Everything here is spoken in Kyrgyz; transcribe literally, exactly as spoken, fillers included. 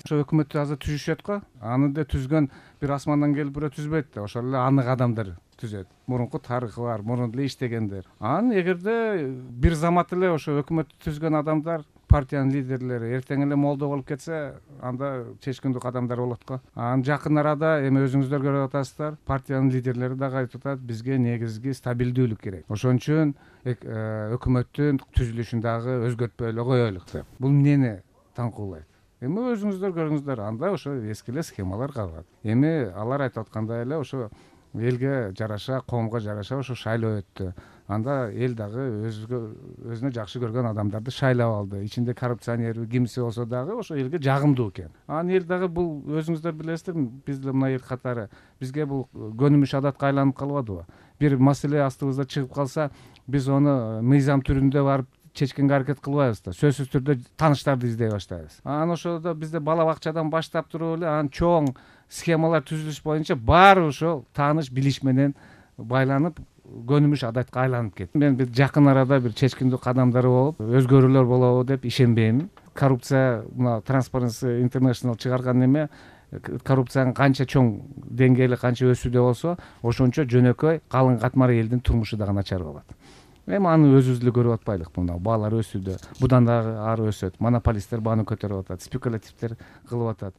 ошо өкмөттү азыр түзүшөт го, аны да түзгөн бир асмандан келип бирөө түзбөйт да, ошол эле анык адамдар түзөт. Мурунку тарыхы бар, мурун эле иштегендер. Анан эгерде бир замат эле ошо өкмөттү түзгөн адамдар, партиянын лидерлери эртең эле молдо болуп кетсе, анда чечкиндүү кадамдар болот го. Анан жакын арада эми өзүңүздөр көрүп атасыздар, партиянын лидерлери дагы айтып атат, бизге негизги стабилдүүлүк керек. Ошон үчүн өкмөттүн түзүлүшүн дагы өзгөртпөй эле коелук деп. Бул эмнени таңкуулайт? Эми өзүңүздөр көрүңүздөр, анда ошо эски эле схемалар калган. Эми алар айтып аткандай эле ошо элге жараша, коомго жараша ошо шайлоо өттү. Анда эл дагы өзгө өзүнө жакшы көргөн адамдарды шайлап алды. Ичинде коррупционер кимси болсо дагы ошо элге жагымдуу экен. Анан эл дагы бул өзүңүздөр билесиздер, биз деле мына эл катары бизге бул көнүмүш адатка айланып калбадыбы? Бир маселе астыбызда чыгып калса, биз аны мыйзам түрүндө барып чечкенге аракет кылбайбыз да. Сөзсүз түрдө тааныштарды издей баштайбыз. Анан ошодо бизде бала бакчадан баштап туруп эле анан чоң схемалар түзүлүш боюнча баары ошол тааныш билиш менен байланып көнүмүш адатка айланып кетти. Мен бир жакын арада бир чечкиндүү кадамдар болуп, өзгөрүүлөр болобу деп ишенбейм. Коррупция, мына Transparency International чыгарган неме, коррупциянын канча чоң деңгээли канча өсүүдө болсо, ошончо жөнөкөй калың катмар элдин турмушу дагы начар болот. Эми аны өзүбүз эле көрүп атпайлыкпы? Мына баалар өсүүдө, будан дагы ары өсөт. Монополисттер бааны көтөрүп атат, спекулятивдер кылып атат.